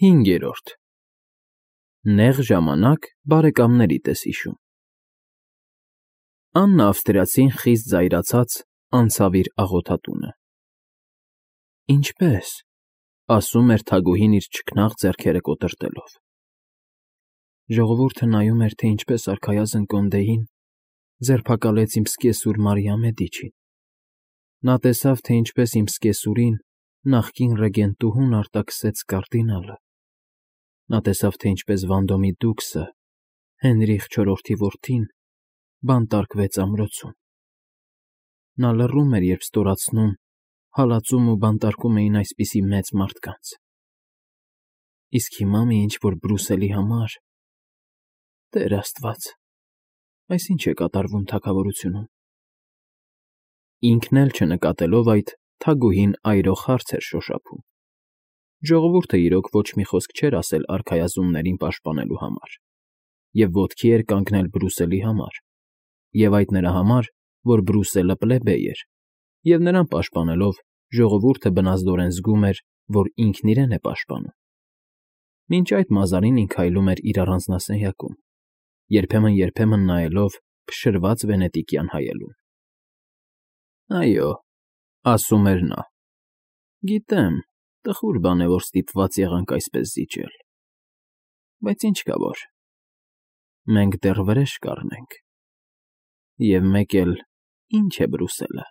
5. Նեղ ժամանակ բարեկամների պես հիշում։ Աննա ավստրիացին խիստ զայրացած անցավ իր աղոթատունը։ Ինչպե՞ս, ասում էր թագուհին իր չքնաղ ձեռքերը կոտրտելով։ Ժողովուրդը նայում էր, թե ինչպես արքայազն Կոնդեին ձերբակալեց իմ սկեսուր Մարիա Մեդիչին։ Նա տեսավ, թե ինչպես իմ սկեսուրին նախկին ռեգենտուհուն արտաքսեց կարդինալը։ Նա տեսավ, թե ինչպես Վանդոմի դուքսը, Հենրիխ IV-ի որդին, բանտարկվեց ամրոցում։ Նա լռում էր, երբ ստորացնում, հալածում ու բանտարկում էին այսպիսի մեծ մարդկանց։ Իսկ հիմա մի ինչ-որ Բրուսելի համար… Տեր Աստված, այս ինչ է կատարվում թագավորությունում։ Ինքն էլ չնկատելով այդ, թագուհին այրող հարց էր շոշափում։ Ժողովուրդը իրոք ոչ մի խոսք չէր ասել արքայազններին պաշտպանելու համար, և ոտքի էր կանգնել Բրուսելի համար, և այդ նրա համար, որ Բրուսելը պլեբեյ էր, և նրան պաշտպանելով ժողովուրդը բնազդորեն զգում էր, որ ինքն իրեն է պաշտպանում։ Մինչ այդ Մազարինին քայլում էր իր առանձնասենյակում, երբեմն նայելով փշրված վենետիկյան հայելուն։ Այո, ասում էր նա, գիտեմ, տխուր բան է, որ ստիպված եղանք այսպես զիջել, բայց ինչ կա որ, մենք դեռ վրեժ կառնենք, և մեկ էլ ինչ է Բրուսելը,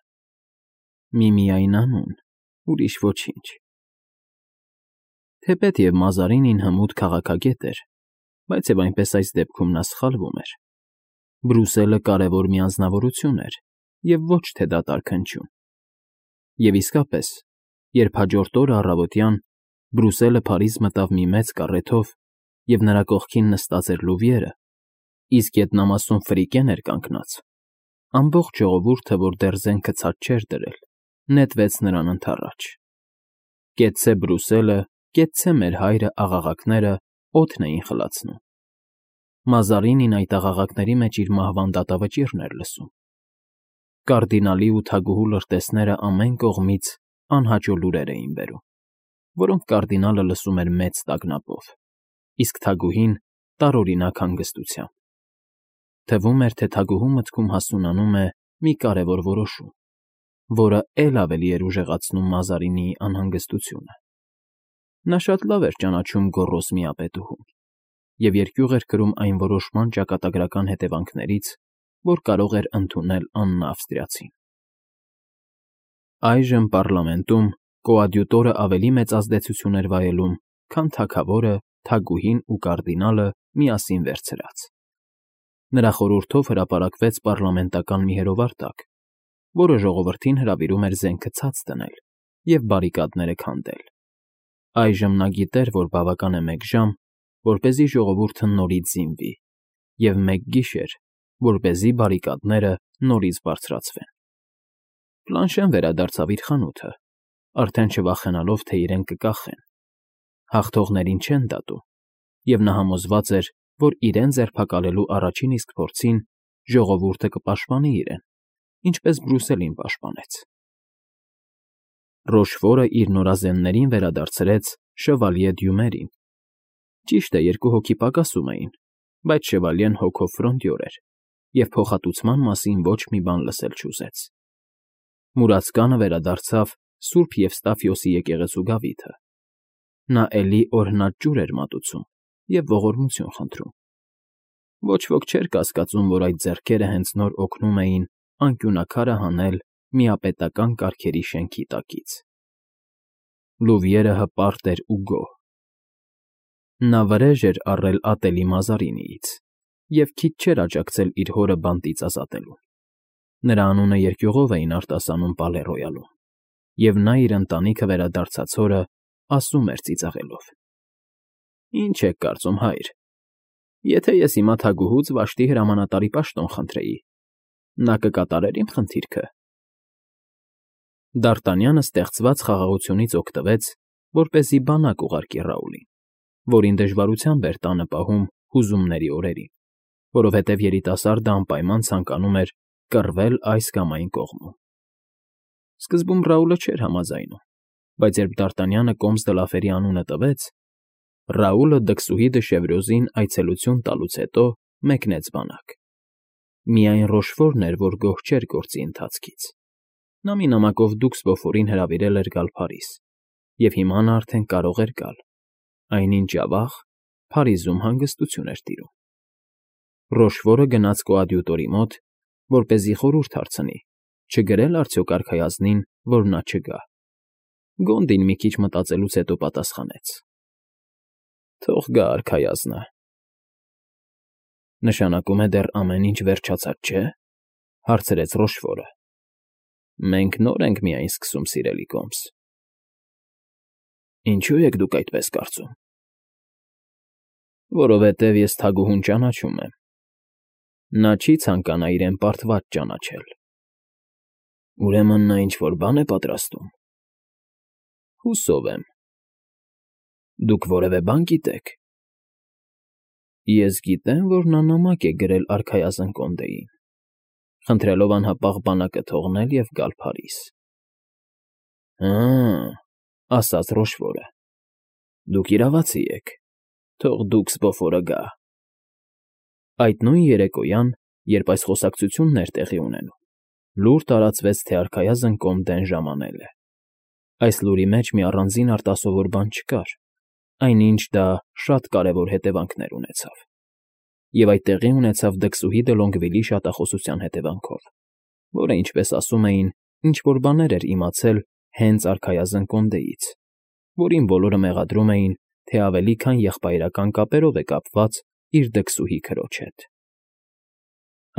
միմիայն անուն, ուրիշ ոչինչ։ Թեպետև Մազարինին հմուտ քաղաքագետ էր, բայց և այնպես այս դեպքում նա սխալվում էր։ Բրուսելը կարևոր մի անձնավորություն էր և ոչ թե դատարկ հնչյուն։ Եվ իսկապես, երբ հաջորդ օրը առավոտյան Բրուսելը Փարիզ մտավ մի մեծ կառեթով, և նրա կողքին նստած էր Լուվիերը, իսկ գետնամասում Ֆրիկեն էր կանգնած, ամբողջ ժողովուրդը, որ դեռ զենքը ցած չէր դրել, նետվեց նրան ընդառաջ։ Կեցցե Բրուսելը, կեցցե մեր հայրը աղաղակները օդն էին խլացնում։ Մազարինին այդ աղաղակների մեջ իր մահվան դատավճիռն էր լսում։ Կարդինալի ու թագուհու լրտեսները ամեն կողմից անհաճո լուրեր էին բերում, որոնք կարդինալը լսում էր մեծ տագնապով, իսկ թագուհին տարօրինակ հանգստությամբ։ Թվում էր, թե թագուհու մտքում հասունանում է մի կարևոր որոշում, որը էլ ավելի էր ուժեղացնում Մազարինիի անհանգստությունը։ Նա շատ լավ էր ճանաչում գոռոզ միապետուհուն և երկյուղ էր կրում այն որոշման ճակատագրական հետևանքներից, որ կարող էր ընդունել Աննա ավստրիացին։ Այժմ պառլամենտում կոադյուտորը ավելի մեծ ազդեցություն էր վայելում, քան թագավորը, թագուհին ու կարդինալը միասին վերցրած։ Նրա խորհրդով հրապարակվեց պառլամենտական մի հրովարտակ, որը ժողովրդին հրավիրում էր զենքը ցած դնել և բարիկադները քանդել։ Այժմ նա գիտեր, որ բավական է 1 ժամ, որպեսզի ժողովուրդը նորից զինվի, և 1 գիշեր, որպեսզի բարիկադները նորից բարձրացվեն։ Պլանշեն վերադարձավ իր խանութը, արդեն չվախենալով, թե իրեն կկախեն։ Հաղթողներին չեն դատում, և նա համոզված էր, որ իրեն ձերբակալելու առաջին իսկ փորձին ժողովուրդը կպաշտպանի իրեն, ինչպես Բրուսելին պաշտպանեց։ Ռոշֆորը իր նորազեններին վերադարձրեց Շևալյե Դյումերին։ Ճիշտ է, 2 հոգի պակասում էին, բայց Շևալյեն հոգով ֆրոնդյոր էր և փոխհատուցման մասին ոչ մի բան լսել չուզեց։ Մուրացկանը վերադարձավ Սուրբ Եվստաֆիոսի եկեղեցու գավիթը։ Նա էլի օրհնած ջուր էր մատուցում և ողորմություն խնդրում։ Ոչ ոք չէր կասկածում, որ այդ ձեռքերը հենց նոր օգնում էին անկյունաքարը հանել միապետական կարգերի շենքի տակից։ Լուվիերը հպարտ էր ու գոհ։ Նա վրեժ էր առել ատելի Մազարինիից և քիչ չէր աջակցել իր հորը բանտից ազատելուն։ Նրա անունը երկյուղով էին արտասանում Պալե֊Ռոյալում, և նա իր ընտանիքը վերադարձած օրը ասում էր ծիծաղելով. Ինչ եք կարծում, հայր, եթե ես հիմա թագուհուց Վաշտի հրամանատարի պաշտոն խնդրեի, նա կկատարեր իմ խնդիրքը։ Դ'Արտանյանը ստեղծված խաղաղությունից օգտվեց, որպեսզի բանակ ուղարկի Ռաուլին, որին դժվարությամբ էր տանը պահում հուզումների օրերին, որովհետև երիտասարդը անպայման ցանկանում էր կռվել այս կամ այն կողմում։ Սկզբում Ռաուլը չէր համաձայնում, բայց երբ Դ'Արտանյանը Կոմս դը Լաֆերի անունը տվեց, Ռաուլը դքսուհի Դշևրոզին այցելություն տալուց հետո մեկնեց բանակ։ Միայն Ռոշֆորն էր, որ գոհ չէր գործի ընթացքից։ Նա մի նամակով Դուքսբոֆորին հրավիրել էր գալ Փարիզ, և հիմա նա արդեն կարող էր գալ, այնինչ ավաղ Փարիզում հանգստություն էր տիրում։ Ռոշֆորը գնաց կոադյուտորի մոտ, որպեսզի խորհուրդ հարցնի, չգրե՞լ արդյոք արքայազնին, որ նա չգա։ Գոնդին մի քիչ մտածելուց հետո պատասխանեց. «Թող գա արքայազնը»։ «Նշանակում է դեռ ամեն ինչ վերջացած չէ՞, հարցրեց Ռոշֆորը։ «Մենք նոր ենք միայն սկսում, սիրելի Կոմս»։ «Ինչո՞ւ եք դուք այդպես կարծում»։ «Որովհետև ես թագուհուն ճանաչում եմ։ Նա չի ցանկանա իրեն պարտված ճանաչել»։ «Ուրեմն նա ինչ֊որ բան է պատրաստում»։ «Հուսով եմ»։ «Դուք որևէ բան գիտեք»։ «Ես գիտեմ, որ նա նամակ է գրել արքայազն Կոնդեին, խնդրելով անհապաղ բանակը թողնել և գալ Փարիզ»։ «Հը՜մ», ասաց Ռոշֆորը, «դուք իրավացի եք, թող Դուքսբոֆորը գա»։ Այդ նույն երեկոյան, երբ այս խոսակցությունն էր տեղի ունենում, լուր տարածվեց, թե արքայազն Կոնդեն ժամանել է։ Այս լուրի մեջ մի առանձին արտասովոր բան չկար, այնինչ դա շատ կարևոր հետևանքներ ունեցավ։ Եվ այդ տեղի ունեցավ դքսուհի դե Լոնգվիլի շատախոսության հետևանքով, որը, ինչպես ասում էին, ինչ֊որ բաներ էր իմացել հենց արքայազն Կոնդեից, որին բոլորը մեղադրում էին, թե ավելի քան եղբայրական կապերով է կապված իր դքսուհի քրոջ հետ։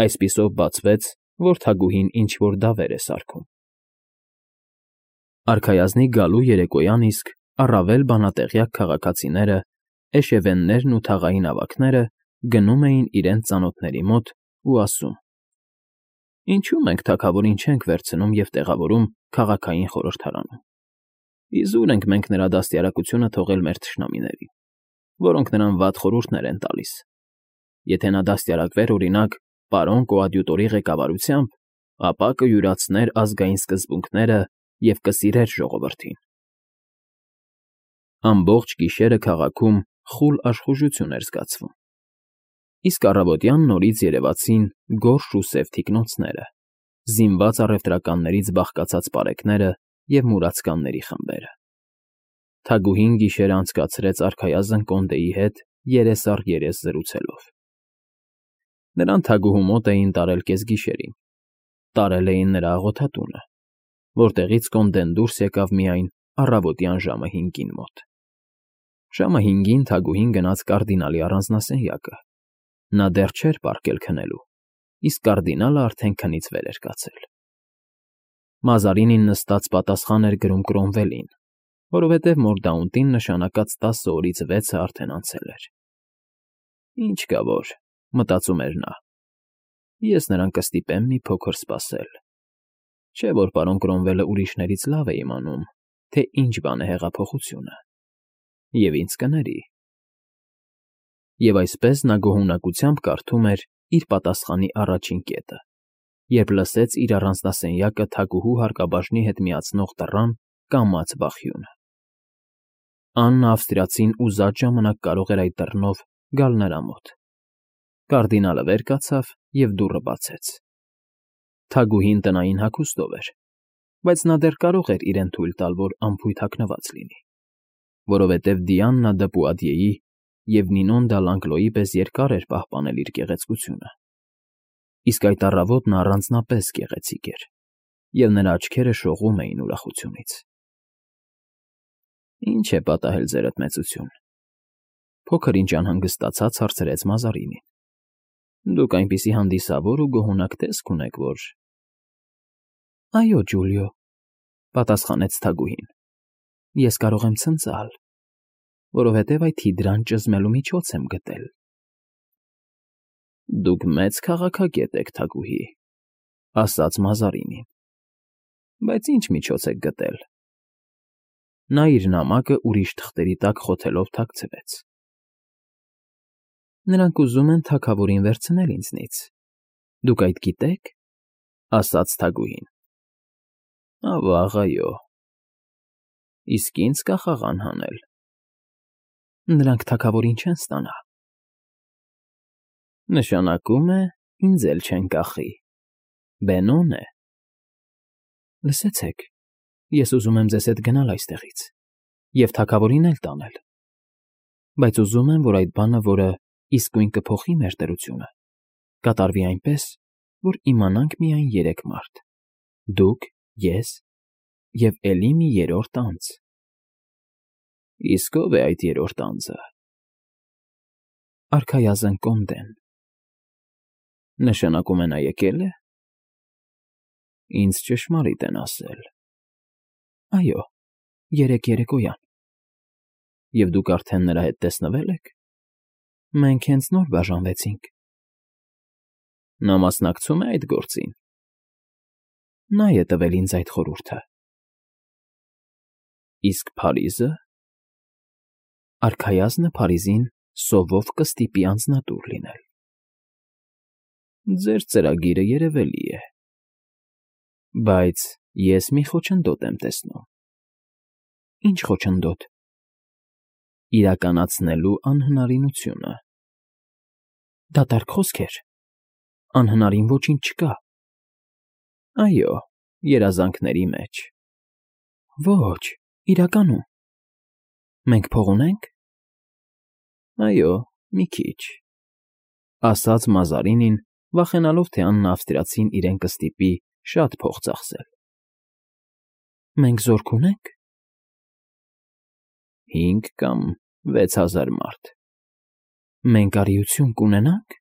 Այսպիսով բացվեց, որ թագուհին ինչ֊որ դավեր է սարքում։ Արքայազնի գալու երեկոյան իսկ առավել բանատեղյակ քաղաքացիները, էշևեններն ու թաղային ավագները գնում էին իրենց ծանոթների մոտ ու ասում. «Ինչու մենք թագավորին չենք վերցնում և տեղավորում քաղաքային խորհրդարանում։ Իզուր ենք մենք նրա դաստիարակությունը թողել մեր թշնամիներին, որոնք նրան վատ խորհուրդներ են տալիս։ Եթե նա դաստիարակվեր, օրինակ, պարոն կոադյուտորի ղեկավարությամբ, ապա կյուրացներ ազգային սկզբունքները և կսիրեր ժողովրդին»։ Ամբողջ գիշերը քաղաքում խուլ աշխուժություն էր զգացվում։ Իսկ առավոտյան նորից երևացին գորշ ու սև թիկնոնցները, զինված առևտրականներից բաղկացած պարեկները և մուրացկանների խմբերը։ Թագուհին գիշերը անցկացրեց արքայազն Կոնդեի հետ երես առ երես զրուցելով։ Նրան թագուհու մոտ էին տարել կեսգիշերին, տարել էին նրա աղոթատունը, որտեղից Կոնդեն դուրս եկավ միայն առավոտյան ժամը 5-ին մոտ։ Ժամը 5-ին թագուհին գնաց կարդինալի առանձնասենյակը։ Նա դեռ չէր պառկել քնելու, իսկ կարդինալը արդեն քնից վեր էր կացել։ Մազարինին նստած պատասխան էր գրում Կրոմվելին, որովհետև Մորդաունտին նշանակած 10 օրից 6-ը արդեն անցել էր։ «Ինչ կա որ», մտածում էր նա, «ես նրան կստիպեմ մի փոքր սպասել։ Չէ՞ որ պարոն Կրոմվելը ուրիշներից լավ է իմանում, թե ինչ բան է հեղափոխությունը, և ինձ կների»։ Եվ այսպես նա գոհունակությամբ կարդում էր իր պատասխանի առաջին կետը, երբ լսեց իր առանձնասենյակը թագուհու հարկաբաժնի հետ միացնող դռան կամաց բախյունը։ Աննա Ավստրիացին ուզած ժամանակ կարող էր այդ դռնով գալ նրա մոտ։ Կարդինալը վեր կացավ և դուռը բացեց։ Թագուհին տնային հագուստով էր, բայց նա դեռ կարող էր իրեն թույլ տալ, որ անփույթ հագնված լինի, որովհետև Դիաննա դը Պուատիեի և Նինոն դա Լանգլոյի պես երկար էր պահպանել իր գեղեցկությունը։ Իսկ այդ առավոտ նա առանձնապես գեղեցիկ էր, և նրա աչքերը շողում էին ուրախությունից։ «Ինչ է պատահել, ձերդ մեծություն», փոքր-ինչ անհանգստացած հարցրեց Մազարինին։ «Դուք այնպիսի հանդիսավոր ու գոհունակ տեսք ունեք, որ…»։ «Այո, Ջուլիո», պատասխանեց թագուհին, «ես կարող եմ ցնծալ, որովհետև այդ հիդրան ճզմելու միջոց եմ գտել»։ «Դուք մեծ քաղաքագետ եք, թագուհի», ասաց Մազարինին, «բայց ինչ միջոց եք գտել»։ Նա իր նամակը ուրիշ թղթերի տակ խոթելով թաքցրեց։ «Նրանք ուզում են թագավորին վերցնել ինձնից, դուք այդ գիտե՞ք», ասաց թագուհին։ «Ավա՜ղ, այո»։ «Իսկ ինձ կախաղան հանել»։ Նրանք թագավորին չեն ստանա։ Նշանակում է, ինձ էլ չեն կախի։ Բենոն է։ Լսեցեք, ես ուզում եմ ձեզ հետ գնալ այստեղից և թագավորին էլ տանել, բայց ուզում եմ, որ այդ բանը, որը իսկույն կփոխի մեր դրությունը, կատարվի այնպես, որ իմանանք միայն երեք մարդ. դուք, ես և էլի մի երրորդ անձ։ Իսկ ո՞վ է այդ երրորդ անձը։ Արքայազն Կոնդեն։ Նշանակում է նա եկել է։ Ինձ ճշմարիտ են ասել։ Այո, երեկ երեկոյան։ Եվ դուք արդեն նրա հետ տեսնվե՞լ եք։ Մենք հենց նոր բաժանվեցինք։ Նա մասնակցում է այդ գործին։ Նա է տվել ինձ այդ խորհուրդը։ Իսկ Փարիզը։ Արքայազնը Փարիզին սովով կստիպի անձնատուր լինել։ Ձեր ծրագիրը երևելի է։ Բայց ես մի խոչընդոտ եմ տեսնում։ Ինչ խոչընդոտ։ Իրականացնելու անհնարինությունը։ Դատարկ խոսքեր։ Անհնարին ոչինչ չկա։ Այո, երազանքների մեջ։ Ոչ, իրականում։ Մենք փող ունենք։ Այո, մի քիչ, ասաց Մազարինին, վախենալով, թե Աննա Ավստրիացին իրեն կստիպի շատ փող ծախսել։ Մենք զորք ունենք։ 5 կամ 6000 մարդ։ Մենք արիություն կունենանք։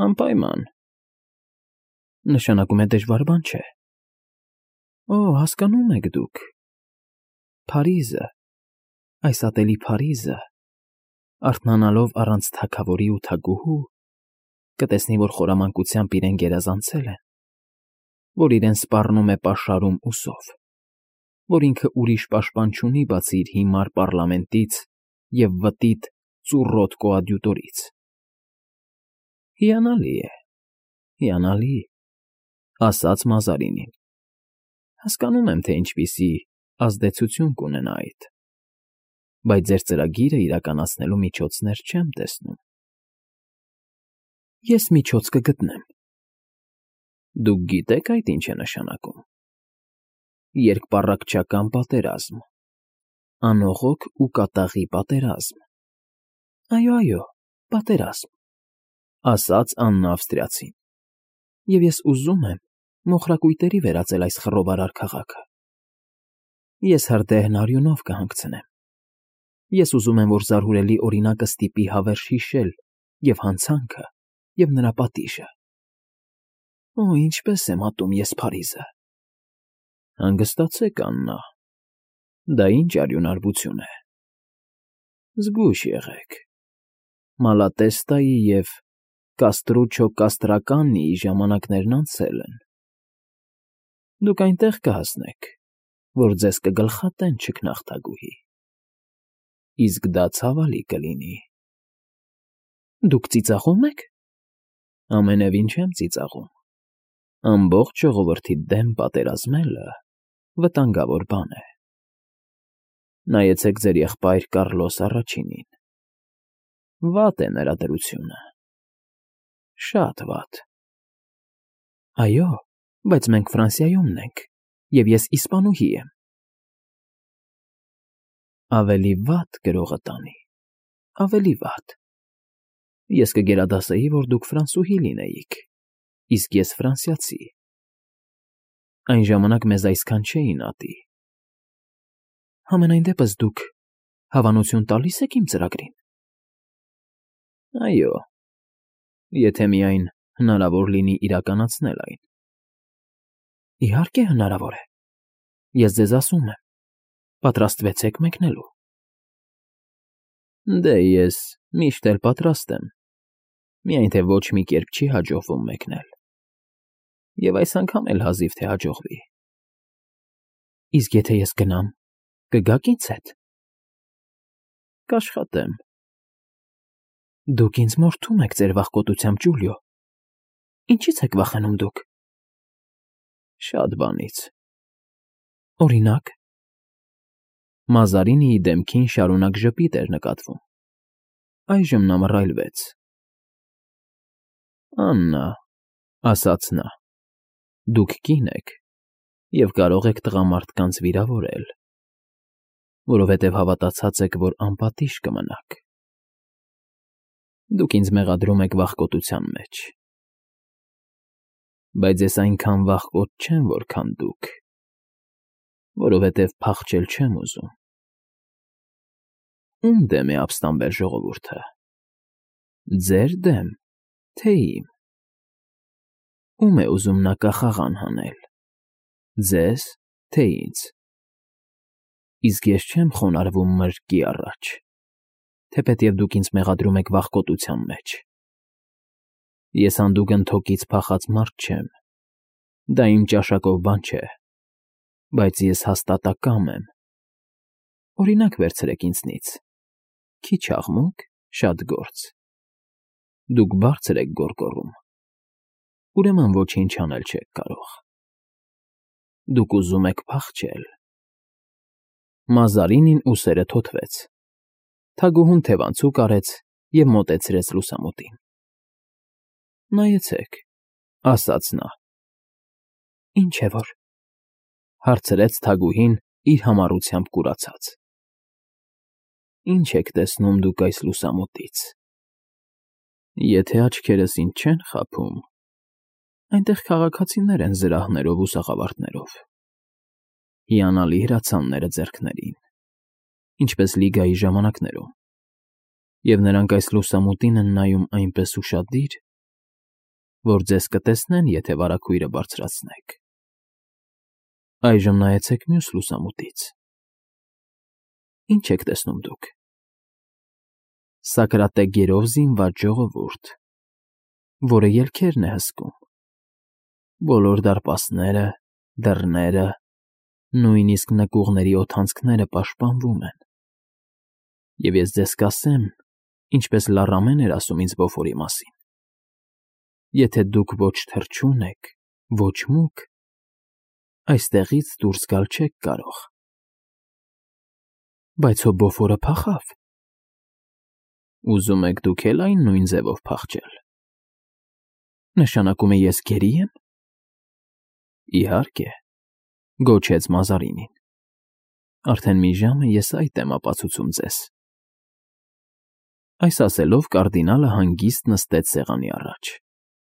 Անպայման։ Նշանակում է դժվար բան չէ։ Օ, հասկանում եք դուք։ Փարիզը, այս ատելի Փարիզը, արթնանալով առանց թագավորի ու թագուհու, կտեսնի, որ խորամանկությամբ իրեն գերազանցել են, որ իրեն սպառնում է պաշարում ու սով, որ ինքը ուրիշ պաշտպան չունի, բացի իր հիմար պառլամենտից և վտիտ ծուռոտ կոադյուտորից։ Հիանալի է, հիանալի, ասաց Մազարինին։ Հասկանում եմ, թե ինչպիսի ազդեցություն կունենա այդ, բայց ձեր ծրագիրը իրականացնելու միջոցներ չեմ տեսնում։ Ես միջոց կգտնեմ։ Դուք գիտեք այդ ինչ է նշանակում։ Երկպառակտչական պատերազմ, անողոք ու կատաղի պատերազմ։ Այո, պատերազմ, ասաց Աննա Ավստրիացին։ Եվ ես ուզում եմ մոխրակույտերի վերածել այս խռովարար քաղաքը։ Ես հրդեհն արյունով կհանգցնեմ։ Ես ուզում եմ, որ զարհուրելի օրինակը ստիպի հավերժ հիշել և հանցանքը, և նրա պատիժը։ Օ, ինչպես եմ ատում ես Փարիզը։ Հանգստացեք, Աննա, դա ինչ արյունարբություն է։ Զգույշ եղեք։ Մալատեստայի և Կաստրուչո Կաստրականիի ժամանակներն անցել են։ Դուք այնտեղ կհասնեք, որ ձեզ կգլխատեն չքնաղթագուհի։ Իսկ դա ցավալի կլինի։ Դուք ծիծաղո՞ւմ եք։ Ամենևին չեմ ծիծաղում։ Ամբողջ ժողովրդի դեմ պատերազմելը վտանգավոր բան է։ Նայեցեք ձեր եղբայր Կառլոս Առաջինին։ Վատ է նրա դրությունը։ Շատ վատ։ Այո, բայց մենք Ֆրանսիայումն ենք, և ես իսպանուհի եմ։ Ավելի վատ գրողը տանի, ավելի վատ։ Ես կգերադասեի, որ դուք ֆրանսուհի լինեիք, իսկ ես ֆրանսիացի։ Այն ժամանակ մեզ այսքան չէին ատի։ Համենայն դեպս դուք հավանություն տալի՞ս եք իմ ծրագրին։ Այո, եթե միայն հնարավոր լինի իրականացնել այն։ Իհարկե հնարավոր է։ Ես ձեզ ասում եմ, պատրաստվեցեք մեկնելու։ Դե ես միշտ էլ պատրաստ եմ, միայն թե ոչ մի կերպ չի հաջողվում մեկնել։ Եվ այս անգամ էլ հազիվ թե հաջողվի։ Իսկ եթե ես գնամ, կգաք ինձ հետ։ Կաշխատեմ։ Դուք ինձ մորթում եք ձեր վախկոտությամբ, Ջուլիո։ Ինչի՞ց եք վախենում դուք։ Շատ բանից։ Օրինակ։ Մազարինիի դեմքին շարունակ ժպիտ էր նկատվում։ Այժմ նա մռայլվեց։ «Աննա,֊ ասաց նա,֊ դուք կին եք և կարող եք տղամարդկանց վիրավորել, որովհետև հավատացած եք, որ անպատիժ կմնաք։ Դուք ինձ մեղադրում եք վախկոտության մեջ, բայց ես այնքան վախկոտ չեմ, որքան դուք, որովհետև փախչել չեմ ուզում։ Ո՞ւմ դեմ է ապստամբել ժողովուրդը, ձեր դեմ, թե իմ։ Ո՞ւմ է ուզում նա կախաղան հանել, ձեզ, թե ինձ։ Իսկ ես չեմ խոնարհվում մրրկի առաջ, թեպետև դուք ինձ մեղադրում եք վախկոտության մեջ։ Ես հանդուգն թոկից փախած մարդ չեմ, դա իմ ճաշակով բան չէ, բայց ես հաստատակամ եմ։ Օրինակ վերցրեք ինձնից. քիչ աղմուկ, շատ գործ։ Դուք բարձր եք գոռգոռում, ուրեմն ոչինչ անել չեք կարող։ Դուք ուզում եք փախչել։ Մազարինին ուսերը թոթվեց, թագուհուն թևանցուկ արեց և մոտեցրեց լուսամուտին։ Նայեցեք,֊ ասաց նա։ Ինչ է որ,֊ հարցրեց թագուհին իր համառությամբ կուրացած։ Ինչ եք տեսնում դուք այս լուսամուտից։ Եթե աչքերս ինձ չեն խաբում, այնտեղ քաղաքացիներ են զրահներով ու սաղավարտներով, հիանալի հրացանները ձեռքներին, ինչպես Լիգայի ժամանակներում, և նրանք այս լուսամուտին են նայում այնպես ուշադիր, որ ձեզ կտեսնեն, եթե վարագույրը բարձրացնեք։ Այժմ նայեցեք մյուս լուսամուտից։ Ինչ եք տեսնում դուք։ Սակրատեգերով զինված ժողովուրդ, որը ելքերն է հսկում։ Բոլոր դարպասները, դռները, նույնիսկ նկուղների օդանցքները պաշտպանվում են։ Եվ ես ձեզ կասեմ, ինչպես Լարամեն էր ասում ինձ Բոֆորի մասին. եթե դուք ոչ թռչուն եք, ոչ մուգ, այստեղից դուրս գալ չեք կարող։ Բայց հո Բոֆորը փախավ։ Ուզում եք դուք էլ այն նույն ձևով փախչել։ Նշանակում է ես գերի՞ եմ։ Իհարկե,֊ գոչեց Մազարինին։ Արդեն մի ժամ է ես այդ եմ ապացուցում ձեզ։ Այս ասելով կարդինալը հանգիստ նստեց սեղանի առաջ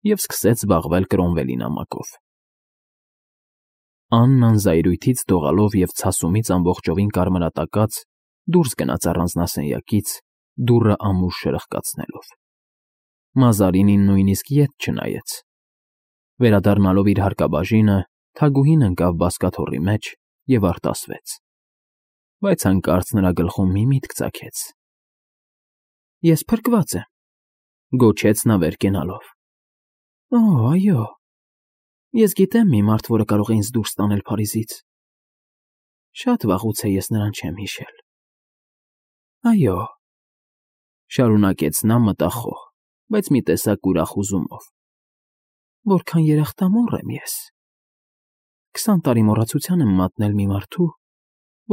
և սկսեց զբաղվել Կրոմվելի նամակով։ Աննան զայրույթից դողալով և ցասումից ամբողջովին կարմրատակած դուրս գնաց առանձնասենյակից, դուռը ամուր շրխկացնելով։ Մազարինին նույնիսկ ետ չնայեց։ Վերադառնալով իր հարկաբաժինը, թագուհին ընկավ բազկաթոռի մեջ և արտասվեց։ Բայց հանկարծ նրա գլխում մի միտք ծագեց։ Ես փրկված եմ,֊ գոչեց նա վեր կենալով։ Օ, այո, ես գիտեմ մի մարդ, որը կարող է ինձ դուրս տանել Փարիզից։ Շատ վաղուց է ես նրան չեմ հիշել։ Այո,֊ շարունակեց նա մտախոհ, բայց մի տեսակ ուրախ հուզումով, որքան երախտամոռ եմ ես։ 20 տարի մոռացության եմ մատնել մի մարդու,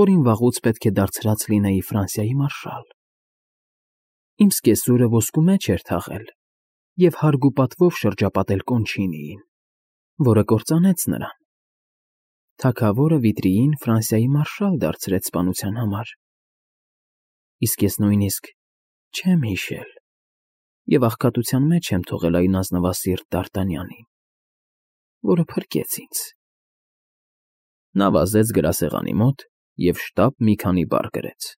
որին վաղուց պետք է դարձրած լինեի Ֆրանսիայի մարշալ։ Իմ սկեսուրը ոսկու մեջ էր թաղել և հարգ ու պատվով շրջապատել Կոնչինիին, որը կործանեց նրան։ Թագավորը Վիտրիին Ֆրանսիայի մարշալ դարձրեց սպանության համար։ Իսկ ես նույնիսկ չեմ հիշել և աղքատության մեջ եմ թողել այն ազնվասիրտ Դ'Արտանյանին, որը փրկեց ինձ։ Նա վազեց գրասեղանի մոտ և շտապ մի քանի բառ գրեց։